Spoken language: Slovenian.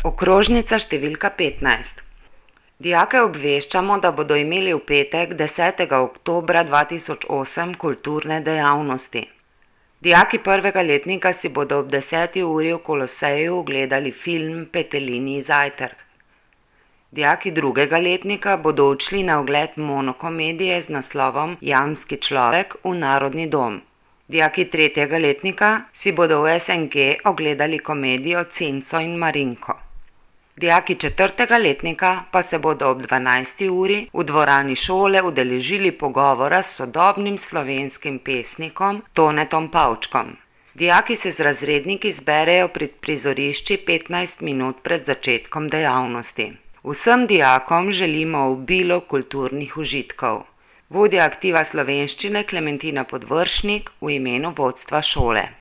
Okrožnica številka 15. Dijake obveščamo, da bodo imeli v petek 10. oktobra 2008 kulturne dejavnosti. Dijaki prvega letnika si bodo ob 10. uri v Koloseju ogledali film Petelinji zajtrk. Dijaki drugega letnika bodo odšli na ogled monokomedije z naslovom Jamski človek v Narodni dom. Dijaki tretjega letnika si bodo v SNG ogledali komedijo Cinco in Marinko. Dijaki četrtega letnika pa se bodo ob 12. uri v dvorani šole udeležili pogovora s sodobnim slovenskim pesnikom Tonetom Pavčkom. Dijaki se z razredniki zberejo pred prizorišči 15 minut pred začetkom dejavnosti. Vsem dijakom želimo obilo kulturnih užitkov. Vodja aktiva slovenščine Klementina Podvršnik v imenu vodstva šole.